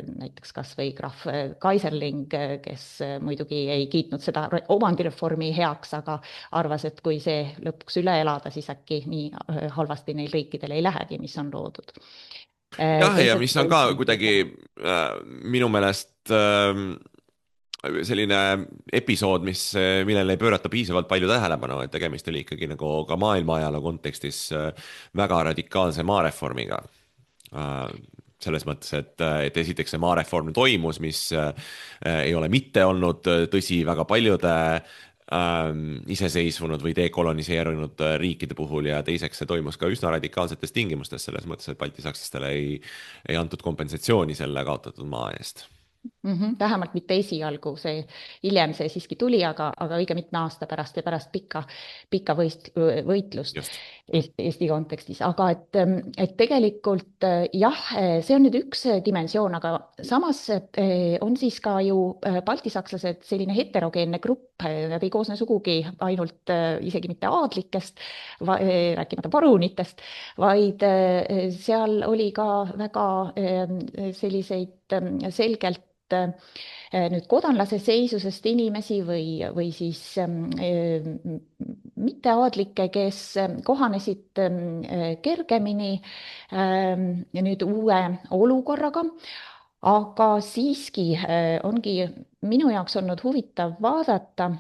näiteks kas või krahv Kaiserling, kes muidugi ei kiitnud seda omandireformi heaks, aga arvas, et kui see lõpuks üle elada, siis äkki nii halvasti neil riikidel ei lähegi, mis on loodud. Jah, ja mis on ka kuidagi minu meelest selline episood, millele ei pöörata piisavalt palju tähelepanu, et tegemist oli ikkagi nagu ka maailma ajaloo kontekstis väga radikaalse maareformiga. Selles mõttes, et esiteks see maareform toimus, mis ei ole mitte olnud tõsi väga paljude iseseisvunud või dekoloniseerunud riikide puhul ja teiseks see toimus ka üsna radikaalsetes tingimustes, selles mõttes, et baltisakslastele ei antud kompensatsiooni selle kaotatud maa eest. Vähemalt mitte esialgu, hiljem see siiski tuli, aga õige mitme aasta pärast ja pärast pikka võitlust Eesti kontekstis. Aga et tegelikult jah, see on nüüd üks dimensioon, aga samas on siis ka ju baltisakslased selline heterogeenne grupp, nad ei koosne sugugi ainult isegi mitte aadlikest, rääkimata parunitest, vaid seal oli ka väga selliseid selgelt nüüd kodanlase seisusest inimesi või siis mitteaadlikke, kes kohanesid kergemini nüüd uue olukorraga, aga siiski ongi minu jaoks olnud huvitav vaadata,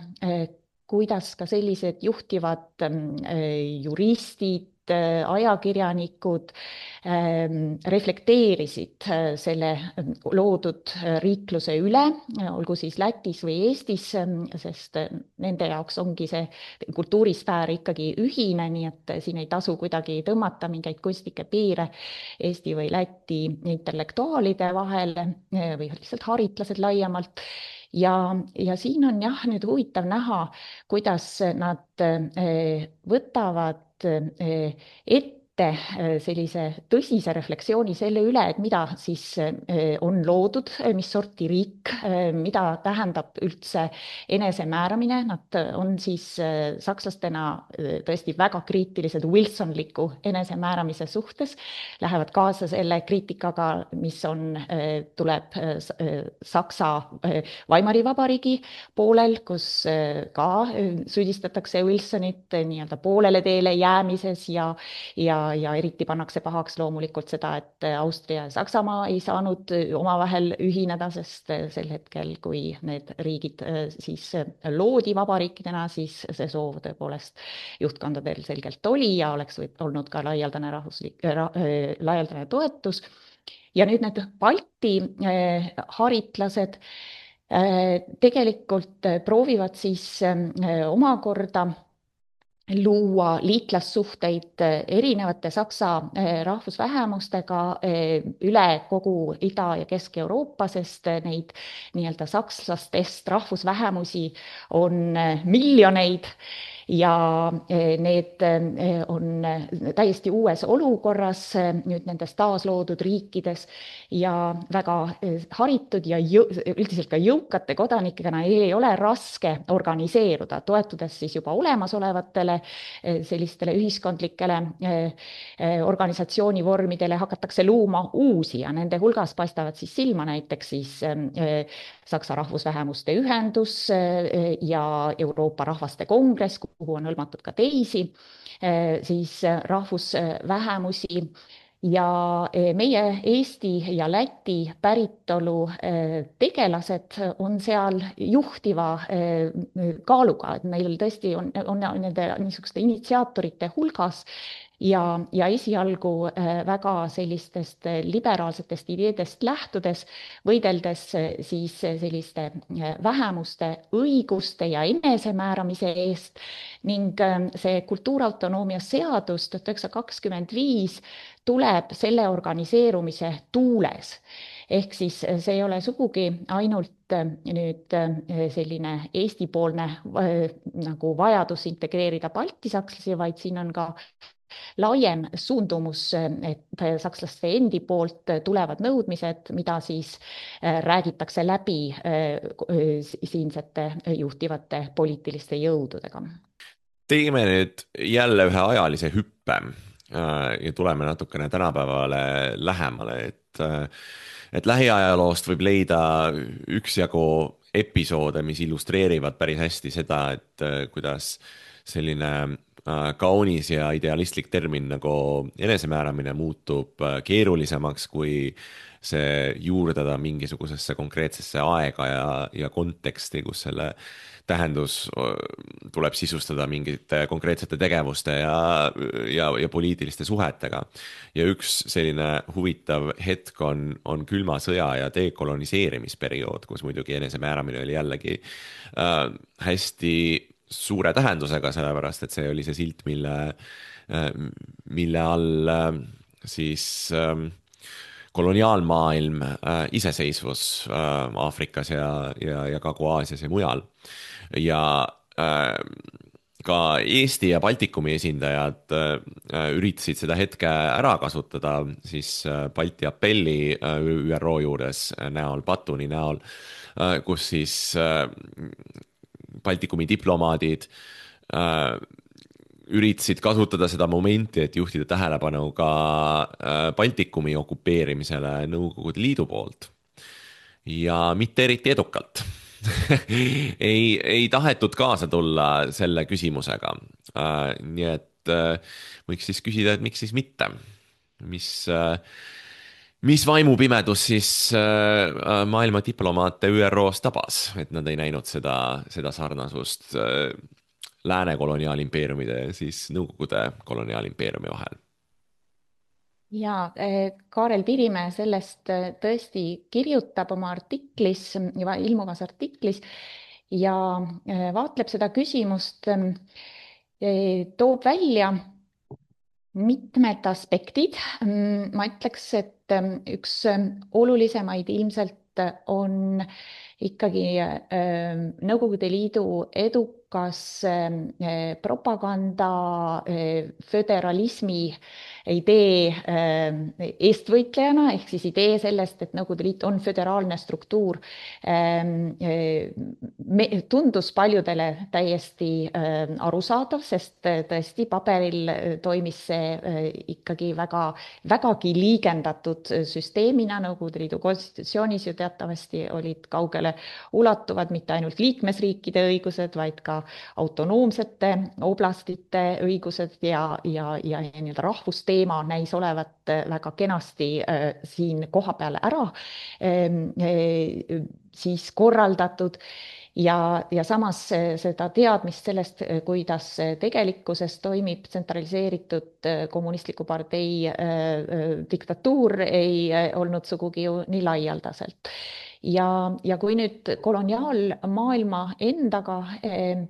kuidas ka sellised juhtivad juristid, ajakirjanikud reflekteerisid selle loodud riikluse üle, olgu siis Lätis või Eestis, sest nende jaoks ongi see kultuurisfäär ikkagi ühine, nii et siin ei tasu kuidagi tõmmata mingeid kunstlikke piire Eesti või Läti intellektuaalide vahele või lihtsalt haritlased laiemalt. Ja siin on jah nüüd huvitav näha, kuidas nad võtavad ette ette sellise tõsise refleksiooni selle üle, et mida siis on loodud, mis sorti riik, mida tähendab üldse enesemääramine. Nad on siis sakslastena tõesti väga kriitilised wilsonliku enesemääramise suhtes, lähevad kaasa selle kriitikaga, mis tuleb Saksa Weimari Vabariigi poolel, kus ka süüdistatakse Wilsonit nii-öelda poolele teele jäämises ja eriti pannakse pahaks loomulikult seda, et Austria ja Saksamaa ei saanud omavahel ühineda, sest sel hetkel, kui need riigid siis loodi vabariikidena, siis see soov tõepoolest juhtkondadel selgelt oli ja oleks olnud ka laialdane toetus. Ja nüüd need Balti haritlased tegelikult proovivad siis omakorda luua liitlassuhteid erinevate Saksa rahvusvähemustega üle kogu Ida- ja Kesk-Euroopa, sest neid nii-öelda sakslastest rahvusvähemusi on miljoneid ja need on täiesti uues olukorras nüüd nendes taasloodud riikides ja väga haritud ja üldiselt ka jõukate kodanikena ei ole raske organiseeruda, toetudes siis juba olemasolevatele sellistele ühiskondlikele organisatsioonivormidele hakatakse luuma uusi ja nende hulgas paistavad siis silma näiteks siis Saksa rahvusvähemuste ühendus ja Euroopa Rahvaste Kongress, kuhu on hõlmatud ka teisi siis rahvusvähemusi ja meie Eesti ja Läti päritolu tegelased on seal juhtiva kaaluga, et neil tõesti on nende niisuguste initsiaatorite hulgas ja esialgu väga sellistest liberaalsetest ideedest lähtudes, võideldes siis selliste vähemuste õiguste ja enesemääramise eest ning see kultuurautonoomia seadus 1925 tuleb selle organiseerumise tuules. Ehk siis see ei ole sugugi ainult nüüd selline Eesti-poolne nagu vajadus integreerida baltisakslasi, vaid siin on ka laiem suundumus, et sakslaste endi poolt tulevad nõudmised, mida siis räägitakse läbi siinsete juhtivate poliitiliste jõududega. Teeme nüüd jälle ühe ajalise hüppe ja tuleme natukene tänapäevale lähemale, et lähiajaloost võib leida üksjagu episoode, mis illustreerivad päris hästi seda, et kuidas selline kaunis ja idealistlik termin nagu enesemääramine muutub keerulisemaks, kui see juurdada mingisugusesse konkreetsesse aega ja konteksti, kus selle tähendus tuleb sisustada mingite konkreetsete tegevuste ja poliitiliste suhetega. Ja üks selline huvitav hetk on külma sõja ja dekoloniseerimisperiood, kus muidugi enesemääramine oli jällegi hästi suure tähendusega, sellepärast et see oli see silt, mille all siis koloniaalmaailm, iseseisvus Aafrikas ja Kagu-Aasias ja mujal. Ja ka Eesti ja Baltikumi esindajad üritasid seda hetke ära kasutada siis Balti apelli ÜRO juures näol, Batuni näol, kus siis Baltikumi diplomaadid üritasid kasutada seda momenti, et juhtida tähelepanu ka Baltikumi okupeerimisele Nõukogude Liidu poolt. Ja mitte eriti edukalt. ei tahetud kaasa tulla selle küsimusega. Nii et võiks siis küsida, et miks siis mitte? Mis vaimupimedus siis maailma diplomaate ÜRO-s tabas, et nad ei näinud seda sarnasust lääne koloniaalimpeeriumide ja siis Nõukogude koloniaalimpeeriumi vahel? Ja Kaarel Pirimäe sellest tõesti kirjutab oma artiklis, ilmuvas artiklis ja vaatleb seda küsimust, toob välja mitmed aspektid. Ma ütleks, et üks olulisemaid ilmselt on ikkagi Nõukogude Liidu edukas propaganda, föderalismi idee eestvõitlejana, ehk siis idee sellest, et Nõukogude Liit on föderaalne struktuur, tundus paljudele täiesti arusaadav, sest tõesti paberil toimis see ikkagi vägagi liigendatud süsteemina. Nõukogude Liidu konstitutsioonis ju teatavasti olid kaugele ulatuvad mitte ainult liikmesriikide õigused, vaid ka autonoomsete oblastite õigused ja nii-öelda rahvusteema näis olevat väga kenasti siin kohapeal ära siis korraldatud. Ja samas seda teadmist sellest, kuidas tegelikkuses toimib tsentraliseeritud kommunistliku partei diktatuur, ei olnud sugugi ju nii laialdaselt. Ja kui nüüd koloniaalmaailma endaga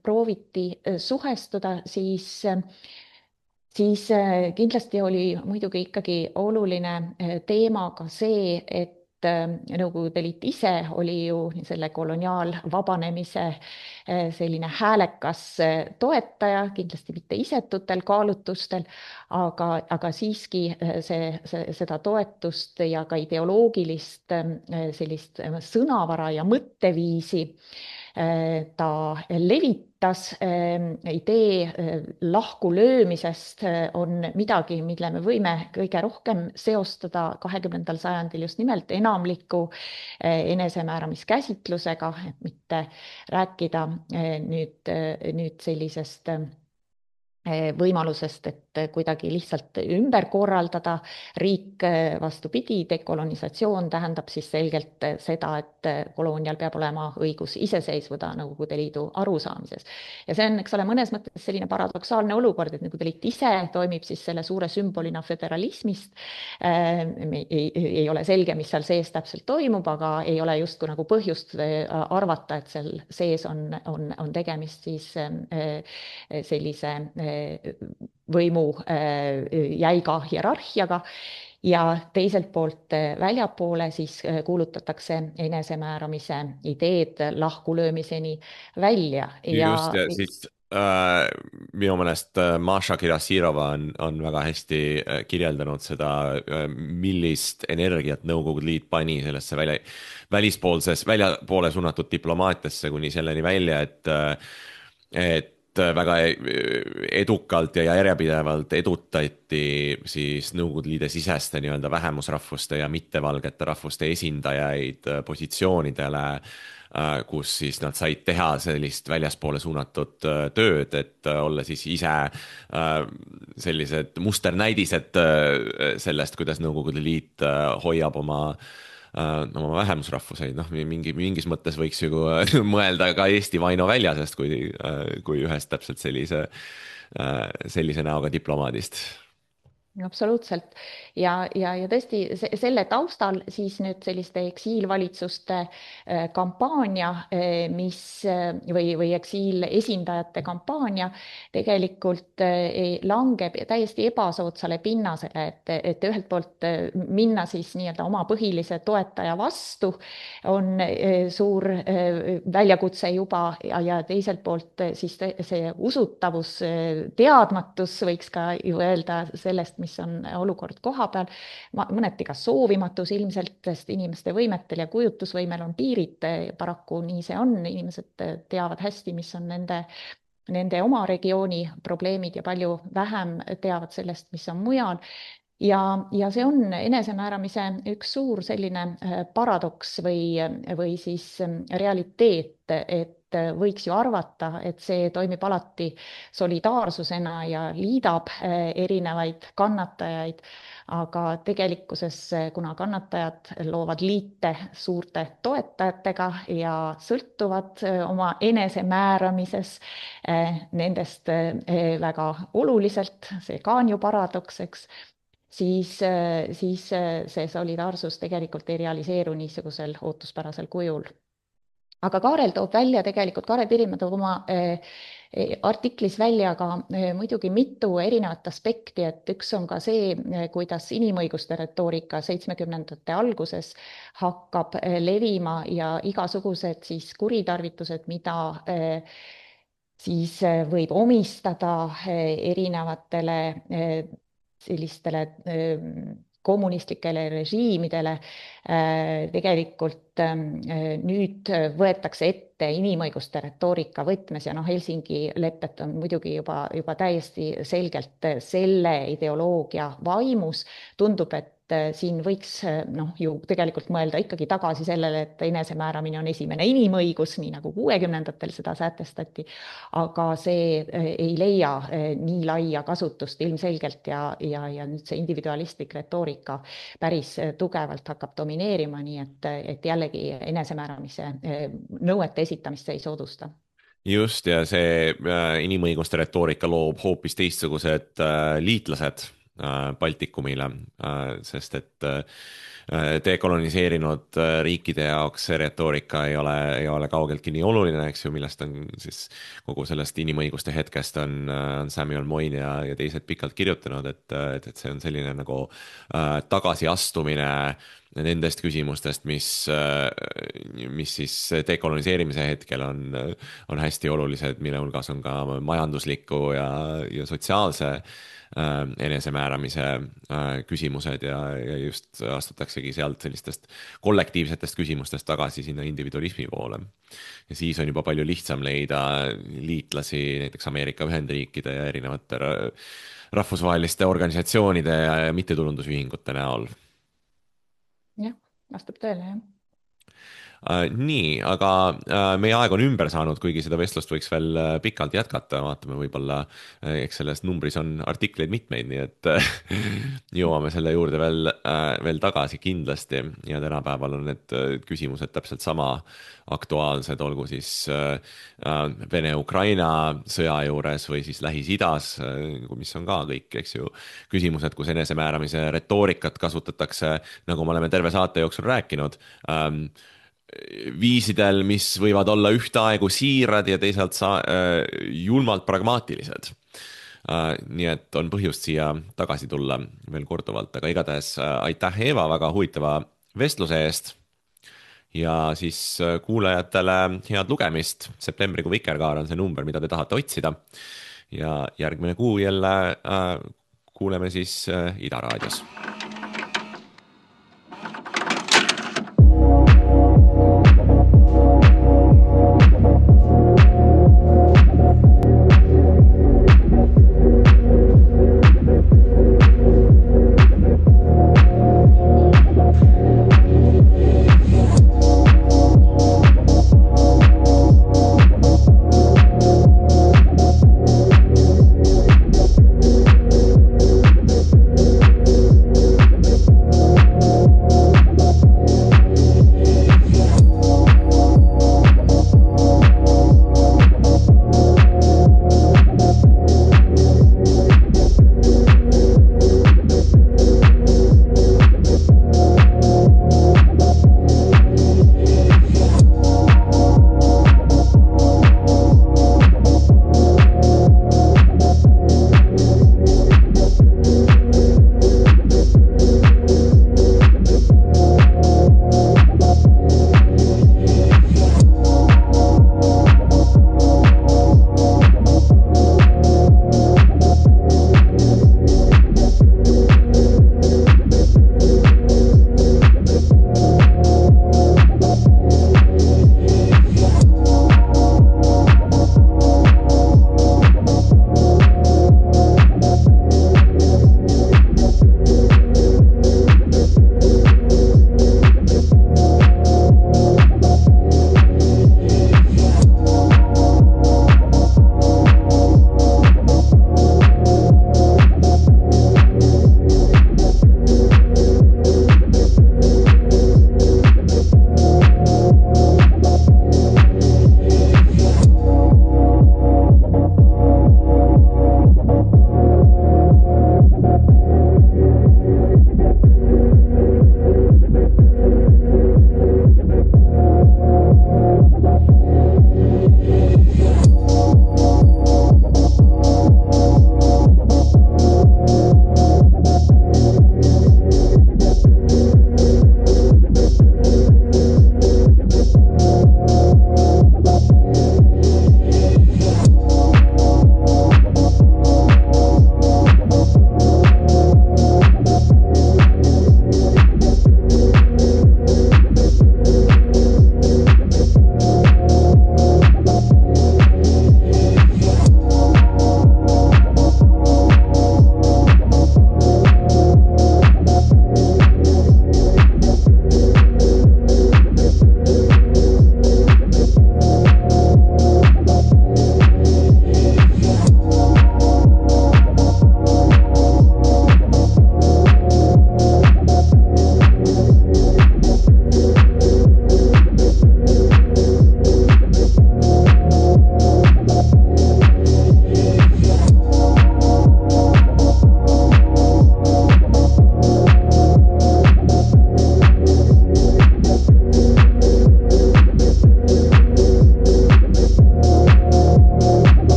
prooviti suhestuda, siis kindlasti oli muidugi ikkagi oluline teema ka see, et Nõukogude Liit ise oli ju selle koloniaalvabanemise selline häälekas toetaja, kindlasti mitte isetutel kaalutlustel, aga siiski seda toetust ja ka ideoloogilist sellist sõnavara ja mõtteviisi ta levitas. Idee lahkulöömisest on midagi, mille me võime kõige rohkem seostada 20. sajandil just nimelt enamliku enesemääramiskäsitlusega, et mitte rääkida nüüd sellisest võimalusest, et kuidagi lihtsalt ümber korraldada riik. Vastupidi, dekolonisatsioon tähendab siis selgelt seda, et koloonial peab olema õigus iseseisvuda Nõukogude Liidu arusaamises. Ja see on, eks ole, mõnes mõttes selline paradoksaalne olukord, et Nõukogude Liit ise toimib siis selle suure sümbolina föderalismist. Ei ole selge, mis seal sees täpselt toimub, aga ei ole justkui nagu põhjust arvata, et seal sees on tegemist siis sellise võimu jäiga hierarhiaga ja teiselt poolt väljapoole siis kuulutatakse enesemääramise ideed lahkulöömiseni välja. Just, ja siis minu meelest Maša Kirasirova on väga hästi kirjeldanud seda, millist energiat Nõukogude Liit pani sellesse väljapoole suunatud diplomaatiasse kuni selleni välja, et väga edukalt ja järjepidevalt edutati siis Nõukogude Liidu siseste nii-öelda vähemusrahvuste ja mittevalgete rahvuste esindajaid positsioonidele, kus siis nad said teha sellist väljaspoole suunatud tööd, et olla siis ise sellised musternäidised sellest, kuidas Nõukogude Liit hoiab oma vähemusrahvuseid. Mingis mõttes võiks ju mõelda ka Eesti Vaino Väljasest kui ühest täpselt sellise näoga diplomaadist. Absoluutselt. Ja tõesti selle taustal siis nüüd selliste eksiilvalitsuste kampaania, või eksiilesindajate kampaania tegelikult langeb täiesti ebasoodsale pinnasele, et ühelt poolt minna siis nii-öelda oma põhilise toetaja vastu on suur väljakutse juba ja teiselt poolt siis see usutavus, teadmatus võiks ka ju öelda sellest, mis on olukord koha peal, mõneti ka soovimatus ilmselt, sest inimeste võimetel ja kujutusvõimel on piirid, paraku nii see on, inimesed teavad hästi, mis on nende oma regiooni probleemid ja palju vähem teavad sellest, mis on mujal. Ja see on enesemääramise üks suur selline paradoks või siis realiteet, et võiks ju arvata, et see toimib alati solidaarsusena ja liidab erinevaid kannatajaid, aga tegelikkuses, kuna kannatajad loovad liite suurte toetajatega ja sõltuvad oma enesemääramises nendest väga oluliselt, see ka on ju paradoks, eks, siis see solidaarsus tegelikult ei realiseeru niisugusel ootuspärasel kujul. aga Kaarel toob välja tegelikult, Kaarel Pirimäe toob oma artiklis välja ka muidugi mitu erinevat aspekti, et üks on ka see, kuidas inimõiguste retoorika 70ndate alguses hakkab levima ja igasugused siis kuritarvitused, mida siis võib omistada erinevatele sellistele kommunistlikele režiimidele, tegelikult nüüd võetakse ette inimõiguste retoorika võtmes ja Helsingi lepet on muidugi juba täiesti selgelt selle ideoloogia vaimus. Tundub, et siin võiks ju tegelikult mõelda ikkagi tagasi sellele, et enesemääramine on esimene inimõigus, nii nagu 60ndatel seda sätestati, aga see ei leia nii laia kasutust ilmselgelt ja nüüd see individualistlik retoorika päris tugevalt hakkab domineerima, nii et jällegi enesemääramise nõuete esitamist see ei soodusta. Just, ja see inimõiguste retoorika loob hoopis teistsugused liitlased Baltikumile, sest et dekoloniseerinud riikide jaoks see retoorika ei ole kaugeltki nii oluline, eks ju, millest on siis kogu sellest inimõiguste hetkest on Samuel Moyn ja teised pikalt kirjutanud, et see on selline nagu tagasiastumine nendest küsimustest, mis siis dekoloniseerimise hetkel on hästi olulised, mille hulgas on ka majandusliku ja sotsiaalse enesemääramise küsimused ja just astutaksegi sealt sellistest kollektiivsetest küsimustest tagasi sinna individualismi poole. Ja siis on juba palju lihtsam leida liitlasi näiteks Ameerika Ühendriikide ja erinevate rahvusvaheliste organisatsioonide ja mittetulundusühingute näol. Jah, vastab tõele, jah. Nii, aga meie aeg on ümber saanud, kuigi seda vestlust võiks veel pikalt jätkata, vaatame võib-olla, eks selles numbris on artikleid mitmeid, nii et jõuame selle juurde veel tagasi kindlasti ja tänapäeval on need küsimused täpselt sama aktuaalsed, olgu siis Vene-Ukraina sõja juures või siis Lähis-Idas, mis on ka kõik, eks ju, küsimused, kus enesemääramise retoorikat kasutatakse, nagu me oleme terve saate jooksul rääkinud, viisidel, mis võivad olla ühtaegu siirad ja teisalt julmalt pragmaatilised. Nii et on põhjust siia tagasi tulla veel korduvalt, aga igatahes aitäh, Eeva, väga huvitava vestluse eest ja siis kuulajatele head lugemist. Septembrikuu Vikerkaar on see number, mida te tahate otsida ja järgmine kuu jälle kuuleme siis Ida raadios.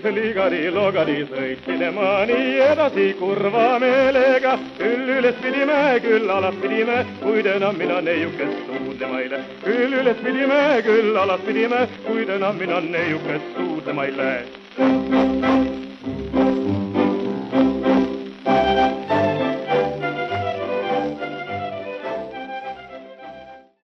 ligari, sõitsime maani edasi kurva meelega. Küll üles pidime, küll alas pidime, kuid enam mina neiukest suudlema ei lähe. Küll üles pidime, küll alas pidime, kuid enam mina neiukest suudlema ei lähe.